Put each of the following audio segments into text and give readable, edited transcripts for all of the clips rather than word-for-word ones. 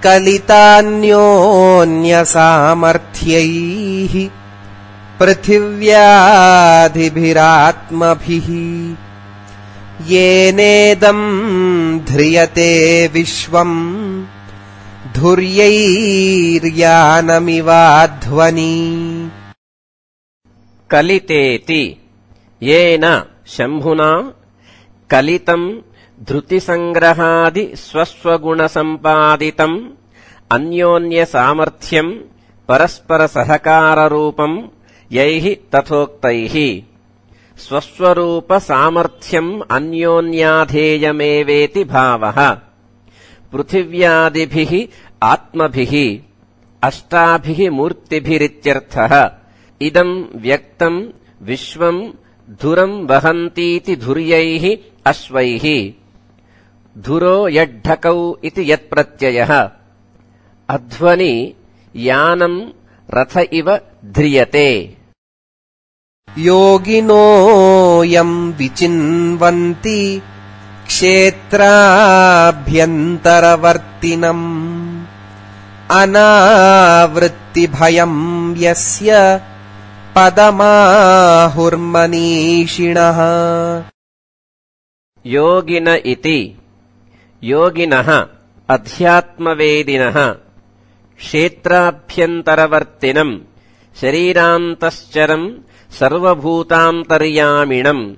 कलितान्योन्यसामर्थ्यैः पृथिव्यादिभिरात्मभिः येनेदं ध्रियते विश्वम् धुर्यैर्यानमिवाध्वनि। कलितेति येन शम्भुना कलितं धृतिसंग्रहादि स्वस्वगुणसम्पादितम् अन्योन्यसामर्थ्यम् परस्परसहकाररूपम् यैः तथोक्तैः स्वस्वरूपसामर्थ्यम् अन्योन्याधेयमेवेति भावः। पृथिव्यादिभिः आत्मभिः अष्टाभिः मूर्तिभिरित्यर्थः। इदम् व्यक्तम् विश्वम् धुरम् वहन्तीति धुर्यैः अश्वैः। धुरो यड्ढकौ इति यत्प्रत्ययः। अध्वनि यानम् रथ इव ध्रियते। योगिनो यम् विचिन्वन्ति क्षेत्राभ्यन्तरवर्तिनम् अनावृत्तिभयम् यस्य पदमाहुर्मनीषिणः। योगिन इति योगिनः अध्यात्मवेदिनः क्षेत्राभ्यन्तरवर्तिनम् शरीरान्तश्चरम् सर्वभूतान्तर्यामिणम्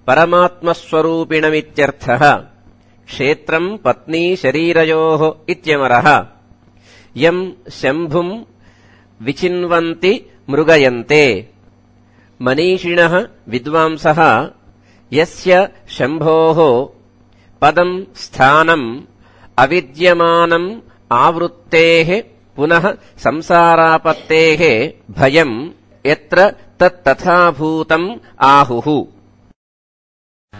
परमात्मस्वरूपिणमित्यर्थः। क्षेत्रम् पत्नी शरीरयोः इत्यमरः। यम् शम्भुम् विचिन्वन्ति मृगयन्ते। मनीषिणः विद्वांसः यस्य शम्भोः पदम् स्थानम् अविद्यमानम् आवृत्तेः पुनः संसारापत्तेः भयम् यत्र तत्तथाभूतम् आहुः।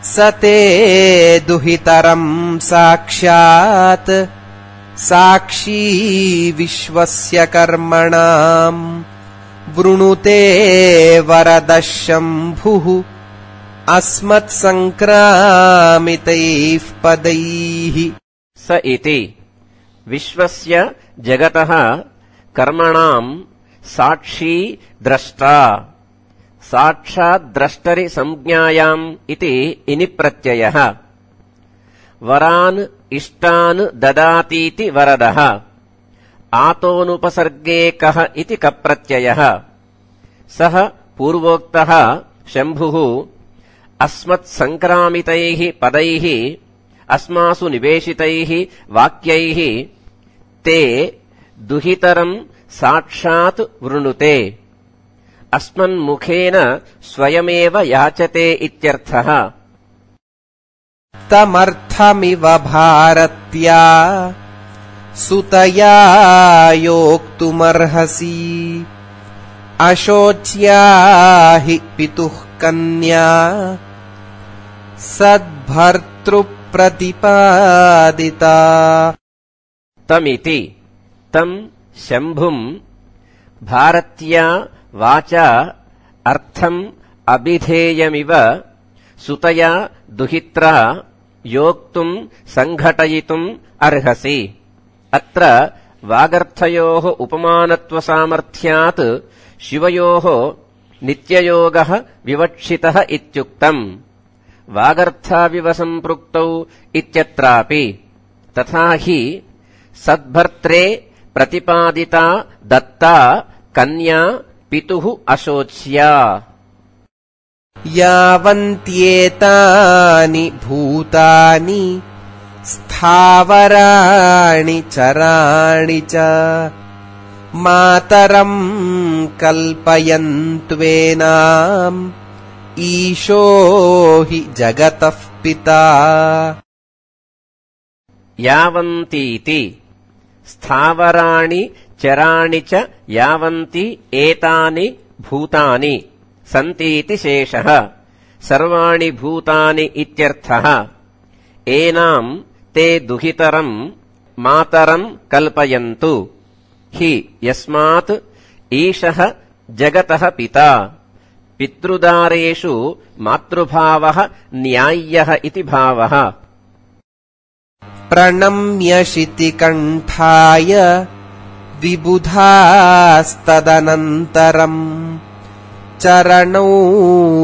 स ते दुहितरम् साक्षात् साक्षी विश्वस्य कर्मणाम् वृणुते वरदः शम्भुः अस्मत्सङ्क्रामितैः पदैः। स इति विश्वस्य जगतः कर्मणाम् साक्षी द्रष्टा। साक्षाद्द्रष्टरि संज्ञायाम् इति इनि प्रत्ययः। वरान् इष्टान् ददातीति वरदः। आतोनुपसर्गे कः इति कप्रत्ययः। सः पूर्वोक्तः शम्भुः अस्मत्सङ्क्रामितैः पदैः अस्मासु निवेशितैः वाक्यैः ते दुहितरम् साक्षात् वृणुते। अस्मन्मुखेन स्वयमेव याचते इत्यर्थः। तमर्थमिव भारत्या सुतया योक्तुमर्हसि अशोच्या हि पितुः कन्या सद्भर्तृप्रतिपादिता। तमिति तम् शम्भुम् भारत्या वाचा अर्थम् अभिधेयमिव सुतया दुहित्रा योक्तुम् सङ्घटयितुम् अर्हसि। अत्र वागर्थयोः उपमानत्वसामर्थ्यात् शिवयोः नित्ययोगः विवक्षितः इत्युक्तम्। वागर्थाविव सम्पृक्तौ इत्यत्रापि तथा हि सद्भर्त्रे प्रतिपादिता दत्ता कन्या पितुः अशोच्या। यावन्त्येतानि भूतानि स्थावराणि चराणि च मातरम् कल्पयन्त्वेनाम् ईशो हि जगतः पिता। यावन्तीति स्थावराणि चराणि च यावन्ति एतानि भूतानि सन्तीति शेषः। सर्वाणि भूतानि इत्यर्थः। एनाम् ते दुहितरम् मातरम् कल्पयन्तु हि यस्मात् ईशः जगतः पिता। पितृदारेषु मातृभावः न्याय्यः इति भावः। प्रणम्य शितिकण्ठाय विबुधास्तदनन्तरम् चरणौ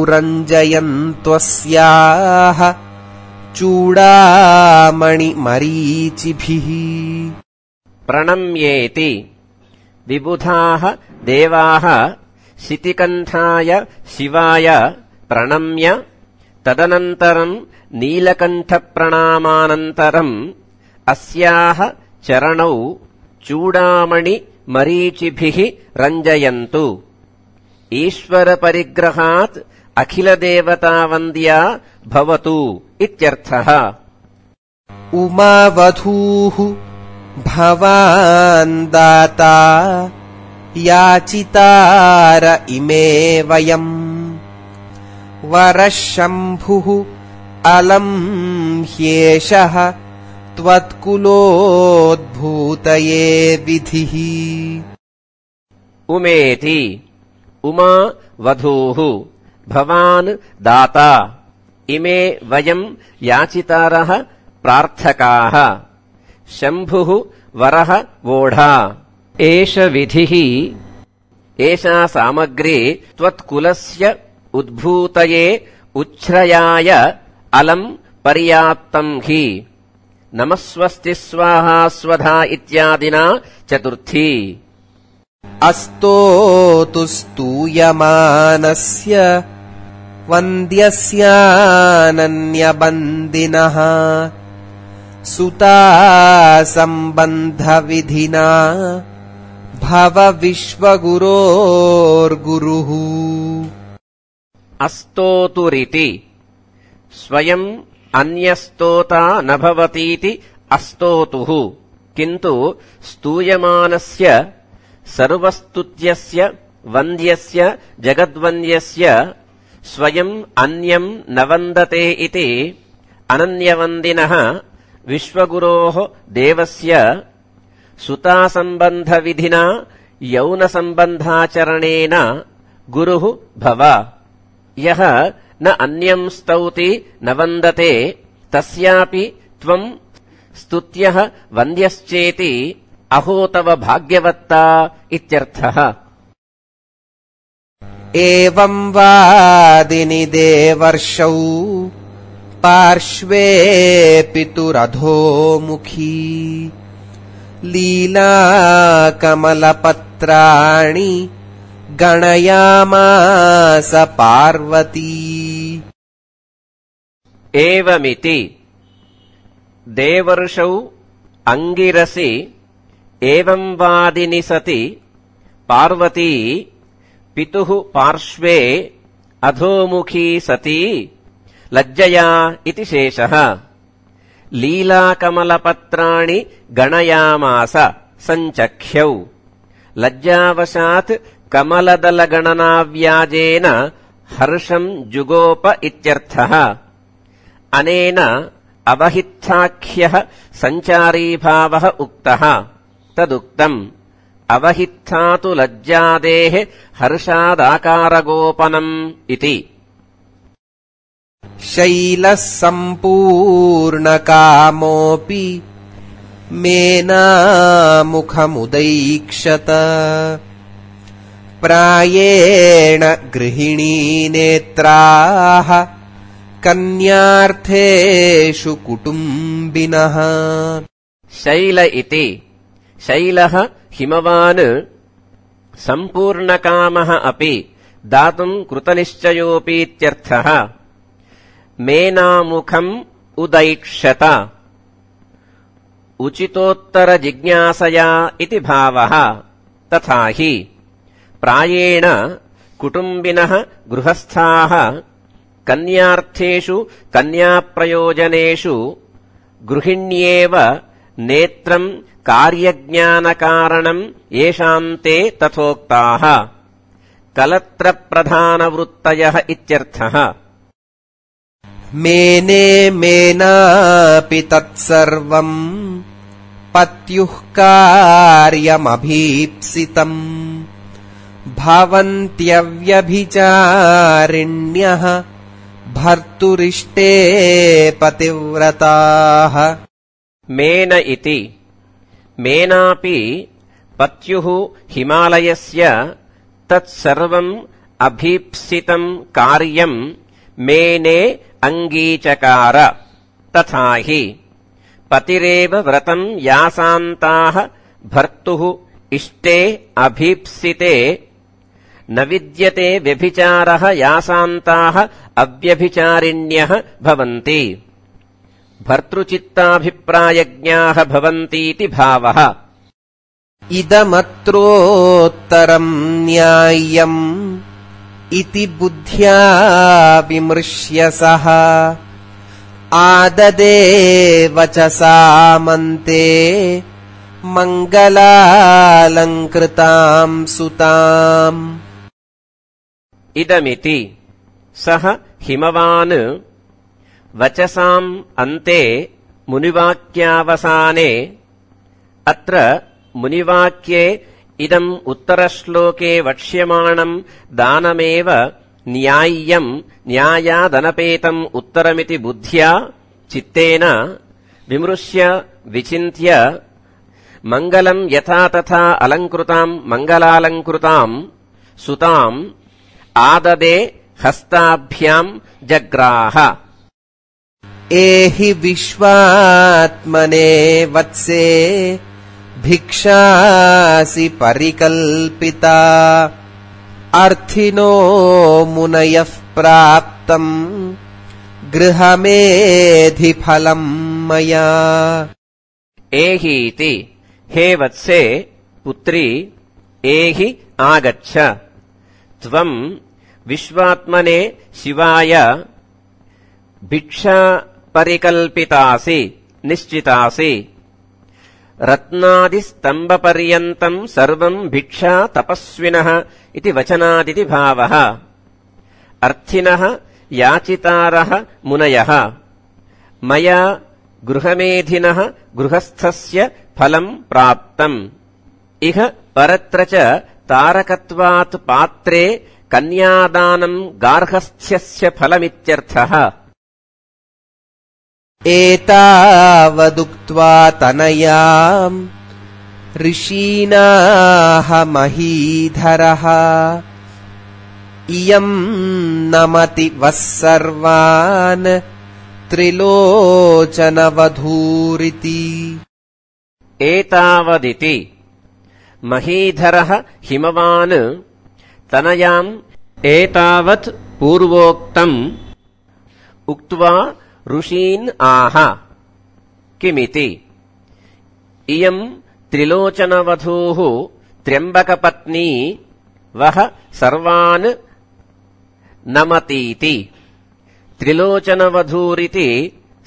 रञ्जयन्त्वस्याः चूडामणिमरीचिभिः। प्रणम्येति विबुधाः देवाः शितिकण्ठाय शिवाय प्रणम्य तदनन्तरम् नीलकण्ठप्रणामानन्तरम् अस्याः चरणौ चूडामणिमरीचिभिः रञ्जयन्तु। ईश्वरपरिग्रहात् अखिलदेवतावन्द्या भवतु इत्यर्थः। उमावधूः भवान् दाता याचितार इमे वयम् वरः शम्भुः अलम् ह्येषः त्वत्कुलोद्भूतये विधिः। उमेति उमा वधूः भवान् दाता इमे वयम् याचितारः प्रार्थकाः शम्भुः वरः वोढा एष विधिः एषा सामग्री त्वत्कुलस्य उद्भूतये उच्छ्रयाय अलम् पर्याप्तम् हि नमस्वस्ति स्वाहा स्वधा इत्यादिना चतुर्थी। अस्तोतु स्तूयमानस्य वन्द्यस्यानन्यबन्दिनः सुता सम्बन्धविधिना भव विश्वगुरोर्गुरुः। अस्तोतुरिति स्वयम् अन्यस्तोता न भवतीति अस्तोतुः किन्तु स्तूयमानस्य सर्वस्तुत्यस्य वन्द्यस्य जगद्वन्द्यस्य स्वयम् अन्यम् न वन्दते इति अनन्यवन्दिनः विश्वगुरोः देवस्य सुतासम्बन्धविधिना यौनसम्बन्धाचरणेन गुरुः भव। यः न अन्यम् स्तौति न वन्दते तस्यापि त्वम् स्तुत्यः वन्द्यश्चेति अहो तव भाग्यवत्ता इत्यर्थः। एवं वादिनि देवर्षौ पार्श्वे पितुरधोमुखी लीलाकमलपत्राणि गणयामास पार्वती। एवमिति देवर्षौ अंगिरसि एवं वादिनि सति पार्वती पितुः पार्श्वे अधोमुखी सती लज्जया इति शेषः। लीलाकमलपत्राणि गणयामास सञ्चख्यौ लज्जावशात् कमलदलगणनाव्याजेन हर्षम् जुगोप इत्यर्थः। अनेन अवहित्थाख्यः सञ्चारीभावः उक्तः तदुक्तम् अवहित्थातु लज्जादेः हर्षादाकारगोपनम् इति। शैलः सम्पूर्णकामोऽपि मेनामुखमुदैक्षत प्रायेण गृहिणी नेत्राः कन्यार्थेषु कुटुम्बिनः। शैल इति शैलः हिमवान् सम्पूर्णकामः अपि दातुम् कृतनिश्चयोऽपीत्यर्थः। मेनामुखम् उदैक्षत उचितोत्तरजिज्ञासया इति भावः। तथा हि प्रायेण कुटुम्बिनः गृहस्थाः कन्यार्थेषु कन्याप्रयोजनेषु गृहिण्येव नेत्रम् कार्यज्ञानकारणम् येषाम् ते तथोक्ताः कलत्रप्रधानवृत्तयः इत्यर्थः। मेने मेनापि तत्सर्वम् पत्युः कार्यमभीप्सितम् भवन्त्यव्यभिचारिण्यः भर्तुरिष्टे पतिव्रताः। मेन इति मेनापि पत्युः हिमालयस्य तत्सर्वम् अभीप्सितम् कार्यम् मेने अङ्गीचकार तथा हि पतिरेव व्रतम् यासान्ताः भर्तुः इष्टे अभीप्सिते न विद्यते व्यभिचारः यासान्ताः अव्यभिचारिण्यः भवन्ति भर्तृचित्ताभिप्रायज्ञाः भवन्तीति भावः। इदमत्रोत्तरम् न्याय्यम् इति बुद्ध्या विमृश्य सः आददे वचसा मन्ते मङ्गलालङ्कृताम् सुताम्। इदमिति सः हिमवान् वचसाम् अन्ते मुनिवाक्यावसाने अत्र मुनिवाक्ये इदम् उत्तरश्लोके वक्ष्यमाणम् दानमेव न्याय्यम् न्यायादनपेतम् उत्तरमिति बुद्ध्या चित्तेन विमृश्य विचिन्त्य मङ्गलम् यथा तथा अलङ्कृताम् मङ्गलालङ्कृताम् सुताम् आददे हस्ताभ्याम् जग्राह। एहि विश्वात्मने वत्से भिक्षासि परिकल्पिता अर्थिनो मुनयः प्राप्तम् गृहमेधिफलम् मया। एहीति हे वत्से पुत्री एहि आगच्छ त्वम् विश्वात्मने शिवाय भिक्षा परिकल्पितासि निश्चितासि रत्नादिस्तम्भपर्यन्तम् सर्वम् भिक्षा तपस्विनः इति वचनादिति भावः। अर्थिनः याचितारः मुनयः मया गृहमेधिनः गृहस्थस्य फलम् प्राप्तम् इह परत्र च तारकत्वात् पात्रे कन्यादानम् गार्हस्थ्यस्य फलमित्यर्थः। एतावदुक्त्वा तनयाम् ऋषीणाः महीधरः इयम् नमति वः सर्वान् त्रिलोचनवधूरिति। एतावदिति महीधरः हिमवान् तनयाम् एतावत् पूर्वोक्तम् उक्त्वा ऋषीन् आह किमिति इयम् त्रिलोचनवधूः त्र्यम्बकपत्नी वः सर्वान् नमतीति। त्रिलोचनवधूरिति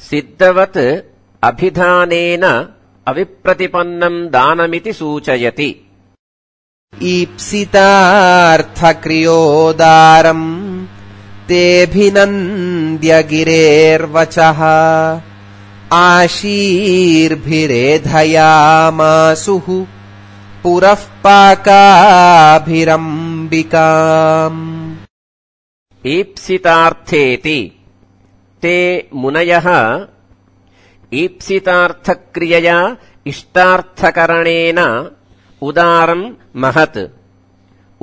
सिद्धवत् अभिधानेन अविप्रतिपन्नम् दानमिति सूचयति। ईप्सितार्थक्रियोदारम् तेऽभिनन्द्य गिरेर्वचः आशीर्भिरेधयामासुः पुरः पाकाभिरम्बिकाम्। ईप्सितार्थेति ते मुनयः ईप्सितार्थक्रियया इष्टार्थकरणेन उदारम् महत्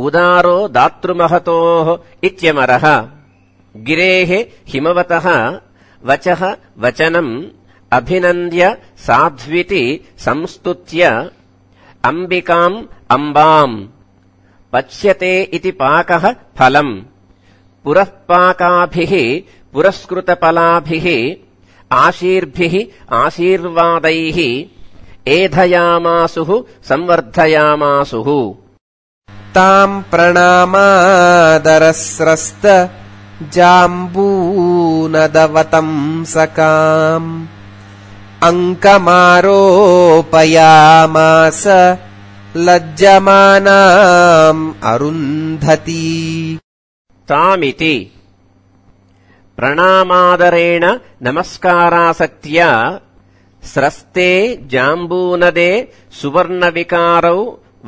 उदारो दातृमहतोः इत्यमरः गिरेः हिमवतः वचः वचनम् अभिनन्द्य साध्विति संस्तुत्य अम्बिकाम् अम्बाम् पच्यते इति पाकः फलम् पुरः पाकाभिः पुरस्कृतफलाभिः आशीर्भिः आशीर्वादैः एधयामासुः संवर्धयामासुः। ताम् प्रणामादरस्रस्त जाम्बूनदवतंसकाम् अङ्कमारोपयामास लज्जमानाम् अरुन्धती। तामिति प्रणामादरेण नमस्कारासक्त्या स्रस्ते जाम्बूनदे सुवर्णविकारौ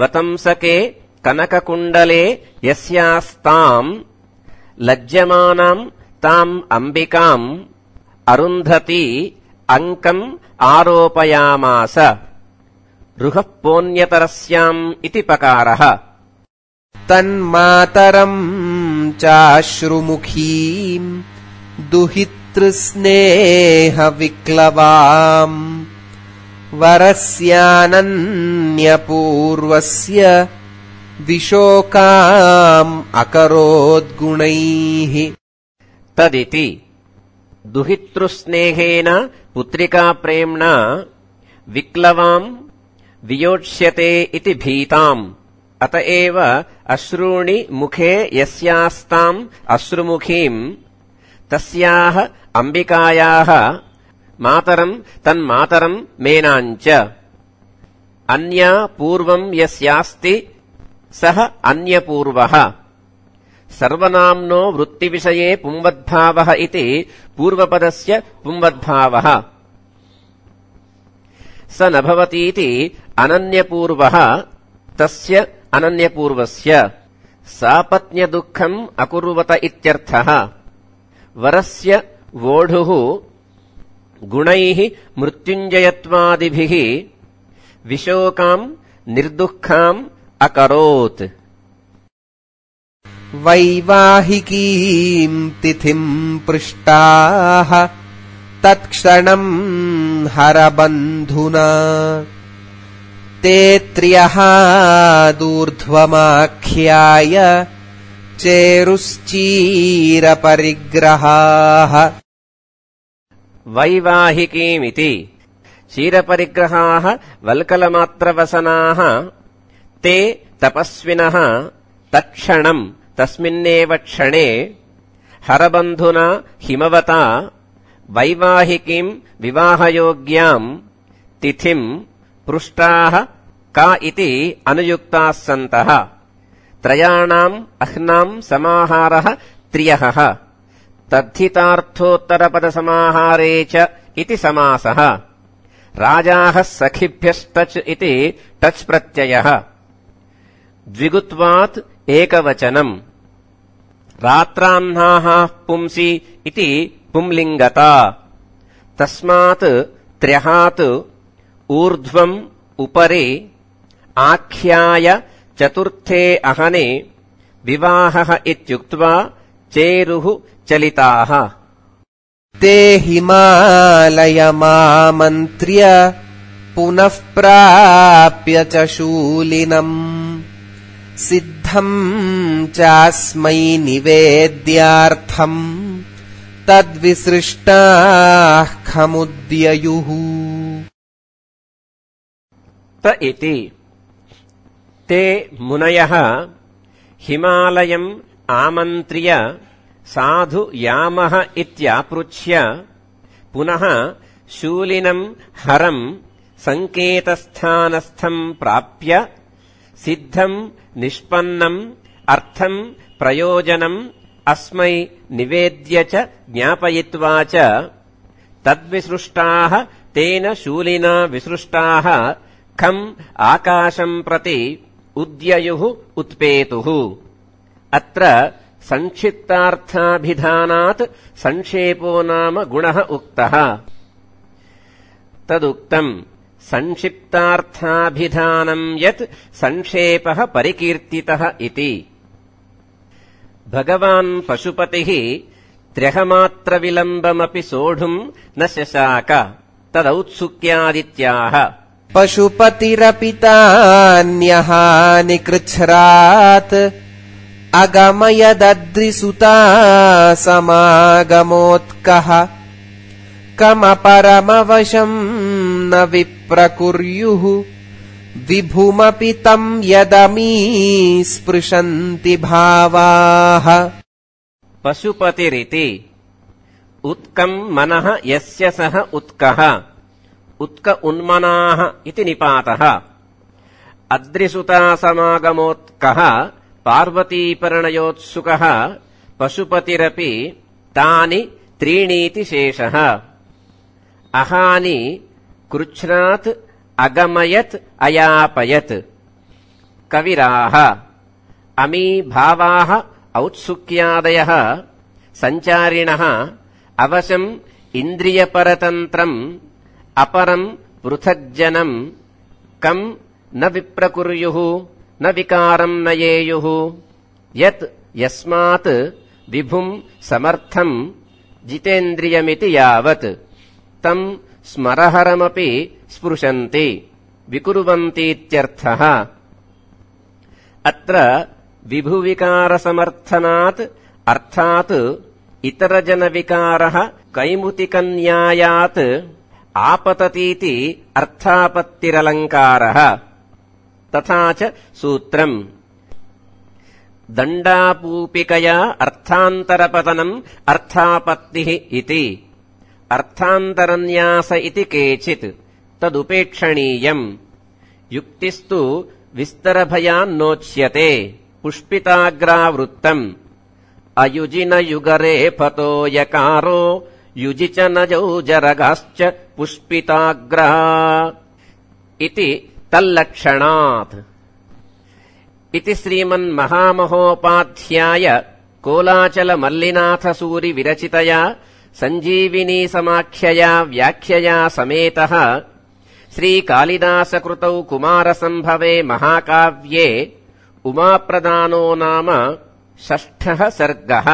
वतंसके कनककुण्डले यस्यास्ताम् लज्जमानाम् ताम् अम्बिकाम् अरुन्धती अंकम् आरोपयामास रुहः पोन्यतरस्याम् इति पकारः तन्मातरम् चाश्रुमुखीम् दुहितृस्नेहविक्लवाम् वरस्यानन्यपूर्वस्य विशोकाम् अकरोद्गुणैः तदिति दुहितृस्नेहेन पुत्रिकाप्रेम्णा विक्लवाम् वियोक्ष्यते इति भीताम् अत एव अश्रूणि मुखे यस्यास्ताम् अश्रुमुखीम् तस्याः अम्बिकायाः मातरम् तन्मातरम् मेनाञ्च अन्या पूर्वम् यस्यास्ति सः अन्यपूर्वः सर्वनाम्नो वृत्तिविषये पुंवद्भावः इति पूर्वपदस्य पुंवद्भावः स न भवतीति अनन्यपूर्वः तस्य अनन्यपूर्वस्य सापत्न्यदुःखम् अकुर्वत इत्यर्थः वरस्य वोढुः गुणैः मृत्युञ्जयत्वादिभिः विशोकाम् निर्दुःखाम् अकरोत् वैवाहिकीम् तिथिम् पृष्टाः तत्क्षणम् हरबन्धुना ते त्र्यः दूर्ध्वमाख्याय चेरुश्चीरपरिग्रहाः वैवाहिकीमिति चीरपरिग्रहाः वल्कलमात्रवसनाः ते तपस्विनः तत्क्षणम् तस्मिन्नेव क्षणे हरबन्धुना हिमवता वैवाहिकीम् विवाहयोग्याम् तिथिम् पृष्टाः का इति अनुयुक्ताः सन्तः त्रयाणाम् अह्नाम् समाहारः त्र्यः तद्धितार्थोत्तरपदसमाहारे च इति समासः राजाः सखिभ्यस्तच् इति टच् प्रत्ययः द्विगुत्वात् एकवचनम् रात्राह्नाः पुंसि इति पुंलिङ्गता तस्मात् त्र्यहात् ऊर्ध्वम् उपरि आख्याय चतुर्थे अहने विवाहः इत्युक्त्वा चेरुः चलिताः ते हिमालयमामन्त्र्य पुनः प्राप्य च शूलिनम् सिद्धम् चास्मै निवेद्यार्थम् तद्विसृष्टाः खमुद्ययुः त इति ते मुनयः हिमालयम् आमन्त्र्य साधु यामः इत्यापृच्छ्य पुनः शूलिनम् हरम् सङ्केतस्थानस्थम् प्राप्य सिद्धम् निष्पन्नम् अर्थम् प्रयोजनम् अस्मै निवेद्य च ज्ञापयित्वा च तद्विसृष्टाः तेन शूलिना विसृष्टाः खम् आकाशम् प्रति उद्ययुः उत्पेतुः अत्र संक्षिप्तार्थाभिधानात् संक्षेपो नाम गुणः उक्तः तदुक्तम् संक्षिप्तार्थाभिधानम् यत् संक्षेपः परिकीर्तितः इति भगवान् पशुपतिः त्र्यहमात्रविलम्बमपि सोढुम् न शशाक तदौत्सुक्यादित्याह पशुपतिरपि तान्यहानिकृच्छ्रात् अगमयदद्रिसुता समागमोत्कः कमपरमवशम् न विप्रकुर्युः विभुमपि तम् यदमी स्पृशन्ति भावाः पशुपतिरिति उत्कम् मनः यस्य सः उत्कः उत्क उन्मनाः इति निपातः अद्रिसुतासमागमोत्कः पार्वतीपरिणयोत्सुकः पशुपतिरपि तानि त्रीणीति शेषः अहानि कृच्छ्रात् अगमयत् अयापयत् कविराः अमी भावाः औत्सुक्यादयः सञ्चारिणः अवशम् इन्द्रियपरतन्त्रम् अपरम् पृथग्जनम् कम् न विप्रकुर्युः न विकारम् नयेयुः यत् यस्मात् विभुम् समर्थम् जितेन्द्रियमिति यावत् तम् स्मरहरमपि स्पृशन्ति विकुर्वन्तीत्यर्थः। अत्र विभुविकारसमर्थनात् अर्थात् इतरजनविकारः कैमुतिकन्यायात् आपततीति अर्थापत्तिरलङ्कारः। तथा च सूत्रम् दण्डापूपिकया अर्थान्तरपतनम् अर्थापत्तिः इति अर्थान्तरन्यास इति केचित् तदुपेक्षणीयम्। युक्तिस्तु विस्तरभयान्नोच्यते पुष्पिताग्रावृत्तम् अयुजिनयुगरे फतो यकारो युजि च नजौ जरगाश्च पुष्पिताग्रा इति तल्लक्षणात्। इति श्रीमन्महामहोपाध्याय कोलाचलमल्लिनाथसूरि विरचितया सञ्जीविनीसमाख्यया व्याख्यया समेतः श्रीकालिदासकृतौ कुमारसम्भवे महाकाव्ये उमाप्रदानो नाम 6 सर्गः।